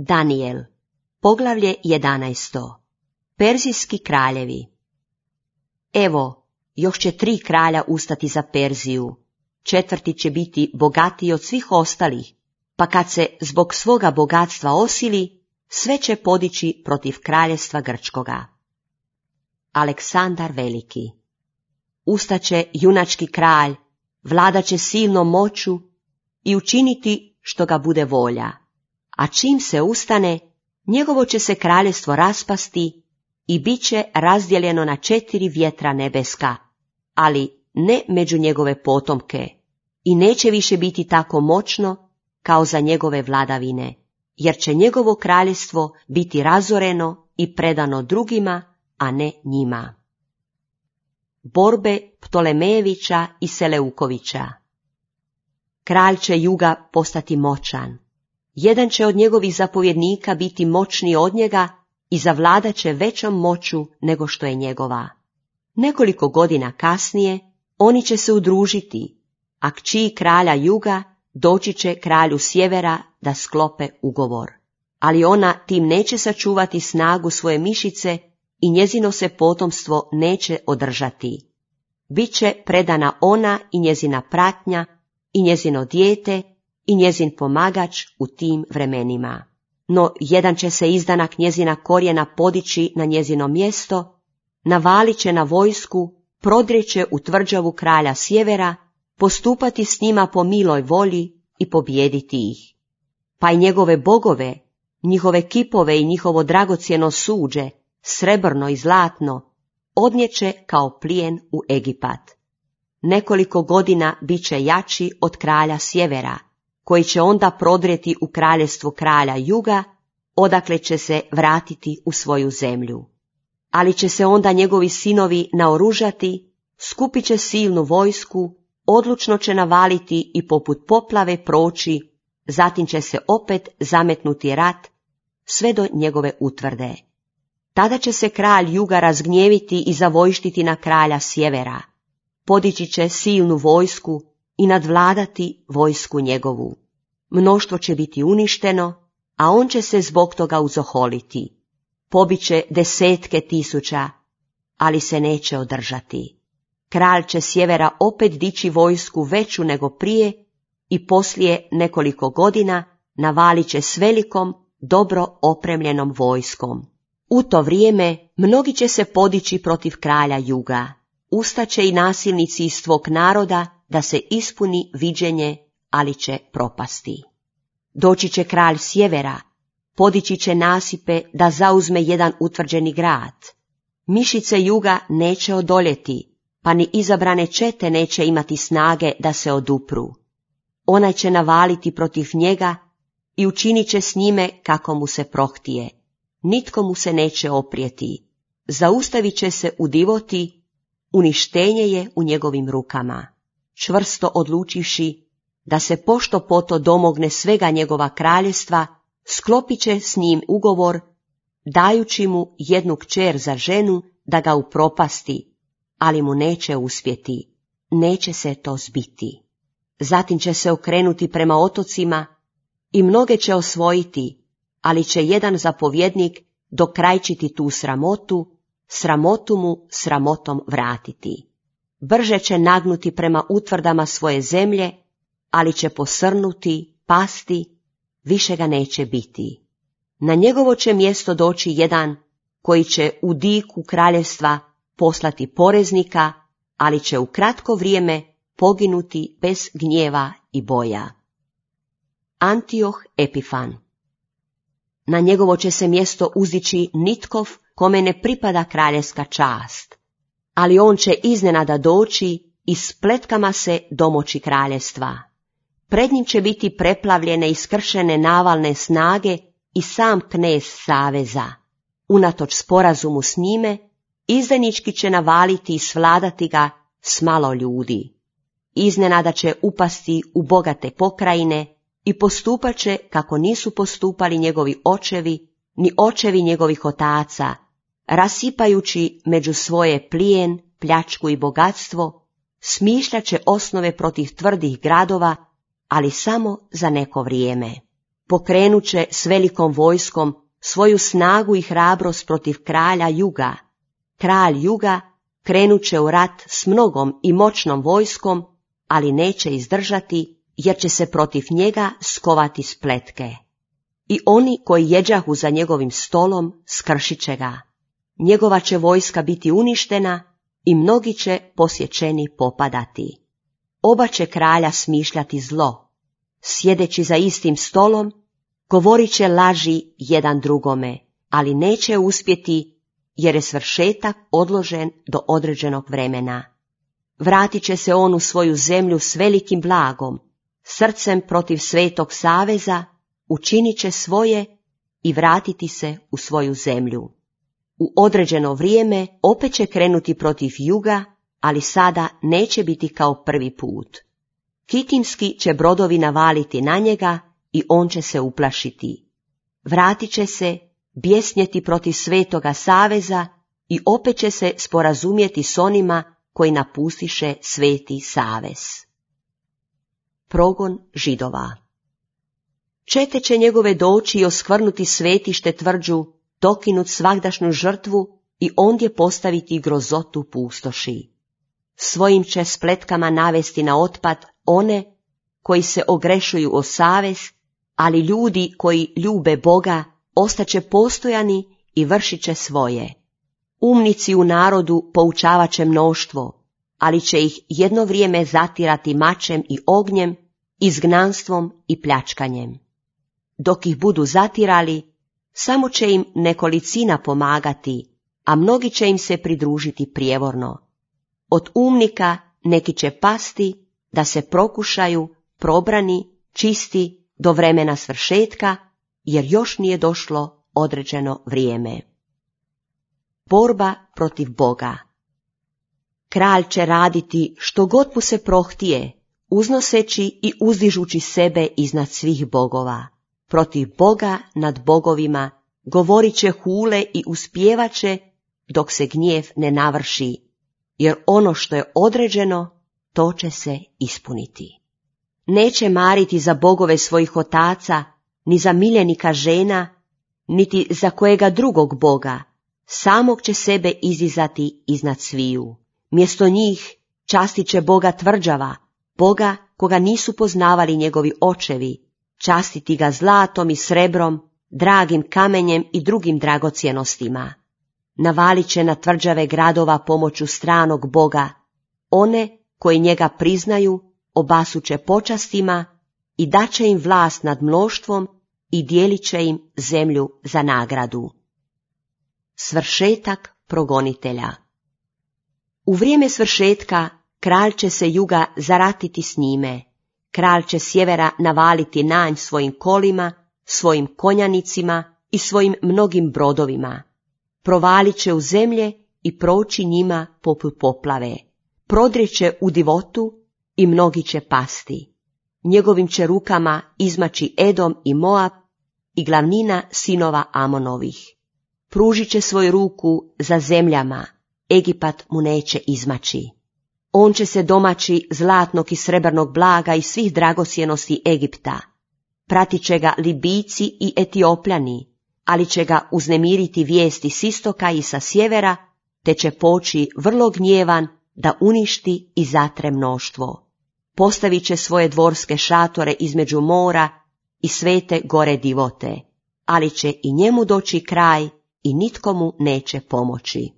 Daniel, poglavlje 11. Perzijski kraljevi. Evo, još će 3 kralja ustati za Perziju. 4. će biti bogatiji od svih ostalih, pa kad se zbog svoga bogatstva osili, sve će podići protiv kraljevstva Grčkoga. Aleksandar Veliki. Ustaće junački kralj, vladaće silnom moću i učiniti što ga bude volja. A čim se ustane, njegovo će se kraljevstvo raspasti i bit će razdijeljeno na 4 vjetra nebeska, ali ne među njegove potomke, i neće više biti tako moćno kao za njegove vladavine, jer će njegovo kraljevstvo biti razoreno i predano drugima, a ne njima. Borbe Ptolemejevića i Seleukovića. Kralj će juga postati moćan. Jedan će od njegovih zapovjednika biti moćniji od njega i zavladat će većom moću nego što je njegova. Nekoliko godina kasnije oni će se udružiti, a kći kralja juga doći će kralju sjevera da sklope ugovor. Ali ona tim neće sačuvati snagu svoje mišice i njezino se potomstvo neće održati. Biće predana ona i njezina pratnja i njezino dijete i njezin pomagač u tim vremenima. No jedan će se izdanak njezina korijena podići na njezino mjesto, navalit će na vojsku, prodrijeće u tvrđavu kralja sjevera, postupati s njima po miloj volji i pobijediti ih. Pa i njegove bogove, njihove kipove i njihovo dragocjeno suđe, srebrno i zlatno, odnijeće kao plijen u Egipat. Nekoliko godina bit će jači od kralja sjevera, koji će onda prodrijeti u kraljevstvo kralja juga, odakle će se vratiti u svoju zemlju. Ali će se onda njegovi sinovi naoružati, skupit će silnu vojsku, odlučno će navaliti i poput poplave proći, zatim će se opet zametnuti rat sve do njegove utvrde. Tada će se kralj juga razgnjeviti i zavojštiti na kralja sjevera, podići će silnu vojsku i nadvladati vojsku njegovu. Mnoštvo će biti uništeno, a on će se zbog toga uzoholiti. Pobiće 10 tisuća, ali se neće održati. Kralj će sjevera opet dići vojsku veću nego prije i poslije nekoliko godina navalit će s velikom, dobro opremljenom vojskom. U to vrijeme mnogi će se podići protiv kralja juga. Ustaće i nasilnici iz tvog naroda da se ispuni viđenje, ali će propasti. Doći će kralj sjevera, podići će nasipe da zauzme jedan utvrđeni grad. Mišice juga neće odoljeti, pa ni izabrane čete neće imati snage da se odupru. Onaj će navaliti protiv njega i učinit će s njime kako mu se prohtije. Nitko mu se neće oprijeti. Zaustavit će se u divoti, uništenje je u njegovim rukama. Čvrsto odlučivši da se pošto poto domogne svega njegova kraljevstva, sklopit će s njim ugovor, dajući mu jednu kćer za ženu da ga upropasti, ali mu neće uspjeti, neće se to zbiti. Zatim će se okrenuti prema otocima i mnoge će osvojiti, ali će jedan zapovjednik dokrajčiti tu sramotu, sramotu mu sramotom vratiti. Brže će nagnuti prema utvrdama svoje zemlje, ali će posrnuti, pasti, više ga neće biti. Na njegovo će mjesto doći jedan koji će u diku kraljevstva poslati poreznika, ali će u kratko vrijeme poginuti bez gnjeva i boja. Antioh Epifan. Na njegovo će se mjesto uzdići Nitkov, kome ne pripada kraljevska čast, ali on će iznenada doći i spletkama se domoći kraljevstva. Pred njim će biti preplavljene i skršene navalne snage i sam knez saveza. Unatoč sporazumu s njime, izdajnički će navaliti i svladati ga s malo ljudi. Iznenada će upasti u bogate pokrajine i postupat će kako nisu postupali njegovi očevi, ni očevi njegovih otaca, rasipajući među svoje plijen, pljačku i bogatstvo, smišljat će osnove protiv tvrdih gradova, ali samo za neko vrijeme. pokrenuće s velikom vojskom svoju snagu i hrabrost protiv kralja Juga. Kralj Juga krenuće u rat s mnogom i moćnom vojskom, ali neće izdržati, jer će se protiv njega skovati spletke. I oni koji jeđahu za njegovim stolom skršit će ga. Njegova će vojska biti uništena i mnogi će posjećeni popadati. Oba će kralja smišljati zlo. Sjedeći za istim stolom, govorit će laži jedan drugome, ali neće uspjeti, jer je svršetak odložen do određenog vremena. Vratit će se on u svoju zemlju s velikim blagom, srcem protiv Svetog saveza, učinit će svoje i vratiti se u svoju zemlju. U određeno vrijeme opet će krenuti protiv Juga, ali sada neće biti kao prvi put. Kitimski će brodovi navaliti na njega i on će se uplašiti. Vratit će se, bjesnjeti protiv Svetoga saveza i opet će se sporazumjeti s onima koji napustiše Sveti savez. Progon Židova. Čete će njegove doći i oskvrnuti svetište tvrđu, dokinut svagdašnju žrtvu i ondje postaviti grozotu pustoši. Svojim će spletkama navesti na otpad one koji se ogrešuju o savez, ali ljudi koji ljube Boga ostaće postojani i vršit će svoje. Umnici u narodu poučavat će mnoštvo, ali će ih jedno vrijeme zatirati mačem i ognjem, izgnanstvom i pljačkanjem. Dok ih budu zatirali, samo će im nekolicina pomagati, a mnogi će im se pridružiti prijevorno. Od umnika neki će pasti da se prokušaju, probrani, čisti do vremena svršetka, jer još nije došlo određeno vrijeme. Borba protiv Boga. Kralj će raditi što god mu se prohtije, uznoseći i uzdižući sebe iznad svih bogova. Protiv Boga nad bogovima govorit će hule i uspjevat će dok se gnjev ne navrši, jer ono što je određeno, to će se ispuniti. Neće mariti za bogove svojih otaca, ni za miljenika žena, niti za kojega drugog boga, samog će sebe izdizati iznad sviju. Mjesto njih častit će Boga tvrđava, Boga koga nisu poznavali njegovi očevi, častiti ga zlatom i srebrom, dragim kamenjem i drugim dragocjenostima. Navalit će na tvrđave gradova pomoću stranog Boga, one koji njega priznaju obasuće počastima i daće im vlast nad mnoštvom i dijelit će im zemlju za nagradu. Svršetak progonitelja. U vrijeme svršetka kralj će se Juga zaratiti s njime, kralj će sjevera navaliti nanj svojim kolima, svojim konjanicima i svojim mnogim brodovima. Provalit će u zemlje i proći njima poput poplave. Prodrijeće u divotu i mnogi će pasti. Njegovim će rukama izmaći Edom i Moab i glavnina sinova Amonovih. Pružit će svoju ruku za zemljama, Egipat mu neće izmaći. On će se domaći zlatnog i srebrnog blaga i svih dragocjenosti Egipta. Pratit će ga Libijci i Etiopljani, ali će ga uznemiriti vijesti s istoka i sa sjevera, te će poći vrlo gnjevan da uništi i zatre mnoštvo. Postavit će svoje dvorske šatore između mora i svete gore divote, ali će i njemu doći kraj i nitko mu neće pomoći.